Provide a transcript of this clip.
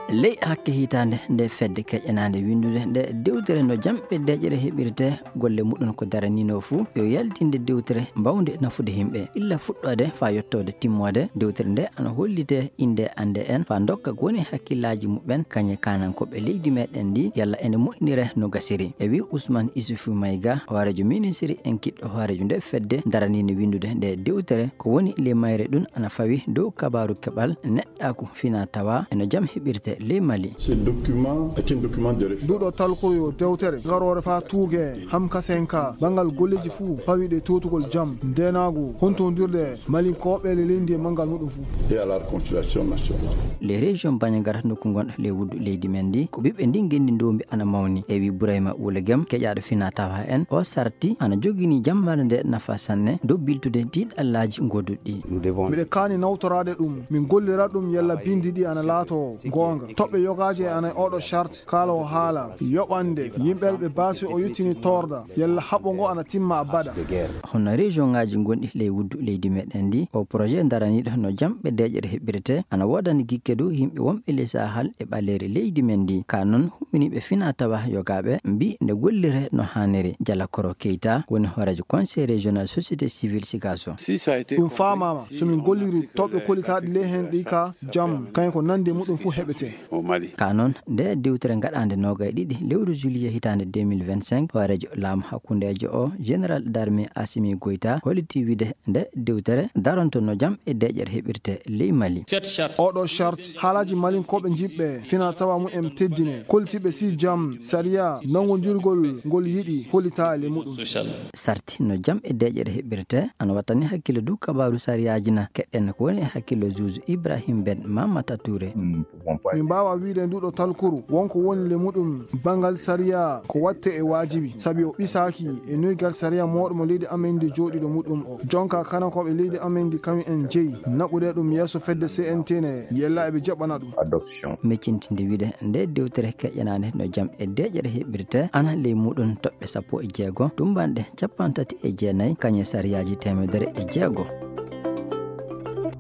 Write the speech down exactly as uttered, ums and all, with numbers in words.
Ley hakke hitaande nde fedde keƴanaande winndude nde dewtere no jamɓe deeƴere heɓirte, golle muɗum ko daraniino fuu yo yaltinde dewtere mbawnde nafude yimɓe. Illa fuɗɗoode faa yettoode timmoode, dewtere nde ana hollite innde annde en faa ndokka ko woni hakkillaaji muɓɓen kañe kaanankooɓe leydi meɗen ndi, yalla ene moƴƴinire no gasiri. E wi Usman Isufu Mayga, hooreejo ministiri en kiɗɗo hooreejo nde fedde daraniinde winndude nde dewtere, ko woni ley mayre ɗum ana fawi dow kabaaru keɓal neɗɗaaku fina tawa eno jam heɓirte ley Mali. Ce document est un document de référence. Nduɗo talkuru yo dewtere garoore faa tuuge ham kasenka banngal golleeji fuu pawiɗe totugol jam, ndeenaagu, hontondirde malinkooɓe le leydi e manngal muɗum fuu. Et à la réconciliation nationale. Les régions Bandiagara nokku ngonɗo ley wuddu leydi men ndi, ko ɓiɓɓe ndin ngenndi ndombi ana mawni. E wi Burayma Wule Gem, keƴaaɗo fina tawa en, o sarti ana jogini jammaare nde nafa sanne dow biltude tiiɗallaaji ngoduɗi. Miɗe kaani nawtoraade ɗum, min gollira ɗum yalla bindi ɗi ana laato goonga. Toɓɓe yogaaje ana e oɗo charte, kaala o haala yoɓande yimɓe ɓe baasi o yettini torda, yalla haɓo ngo ana timma abada. Hono région ngaji gonɗi ley wuddu leydi meɗen ndi, o projet daraniɗo no jamɓe deeƴere heɓirte, ana woodani gikke dow yimɓe wonɓe ley Sahel e ɓaleeri leydi men ndi. Ka non, humminiiɓe fina tawa yogaaɓe mbi nde gollire no haaniri. Jala Koro Keita woni hooreejo Conseil régional société civile Sikaso. Ɗum faamaama, so min golliri toɓɓe kolitaaɗi ley heen ɗi ka jam, kañum ko nande muɗum fuu heɓete. Ka non, nde dewtere gaɗaande noogay ɗiɗi lewru juillet hitaande deux mille vingt-cinq, hooreejo laamu hakkundeejo o, général d'armée Assimi Goïta, holliti wiide nde dewtere daronto no jam e deeƴere heɓirte ley Mali. Oɗo charte, haalaaji malinkooɓe jiɓɓe fina tawa mumen teddine, kollitiiɓe si jam, sariya, nanngondirgol ngol yiɗi hollitaali muɗum. Sarti no jam e deeƴere heɓirte, ana wattani hakkille dow kabaaru sariyaaji na. Keɗɗen ko woni e hakkille juuju Ibrahim Ben Mamata Touré. Min mbaawa wiide nduɗo talkuru wonko woni le muɗum banngal sariya ko watte e waajibi, sabi o ɓisaaki e noygal sariya mooɗo mo leydi amen ndi jooɗiɗo muɗum o. Jonka kanankooɓe leydi amen ndi kañum en jeyi naɓude ɗum yeeso fedde C N T ne, yella eɓe jaɓana ɗum. Adoption. Miccintinde wiide nde dewtere keƴanaande no jam e deeƴere heɓirte, ana ley muɗum toɓɓe sappo e jeego, tumbanɗe capanɗe tati e jeenayi, kañe sariyaaji teemedere e jeego.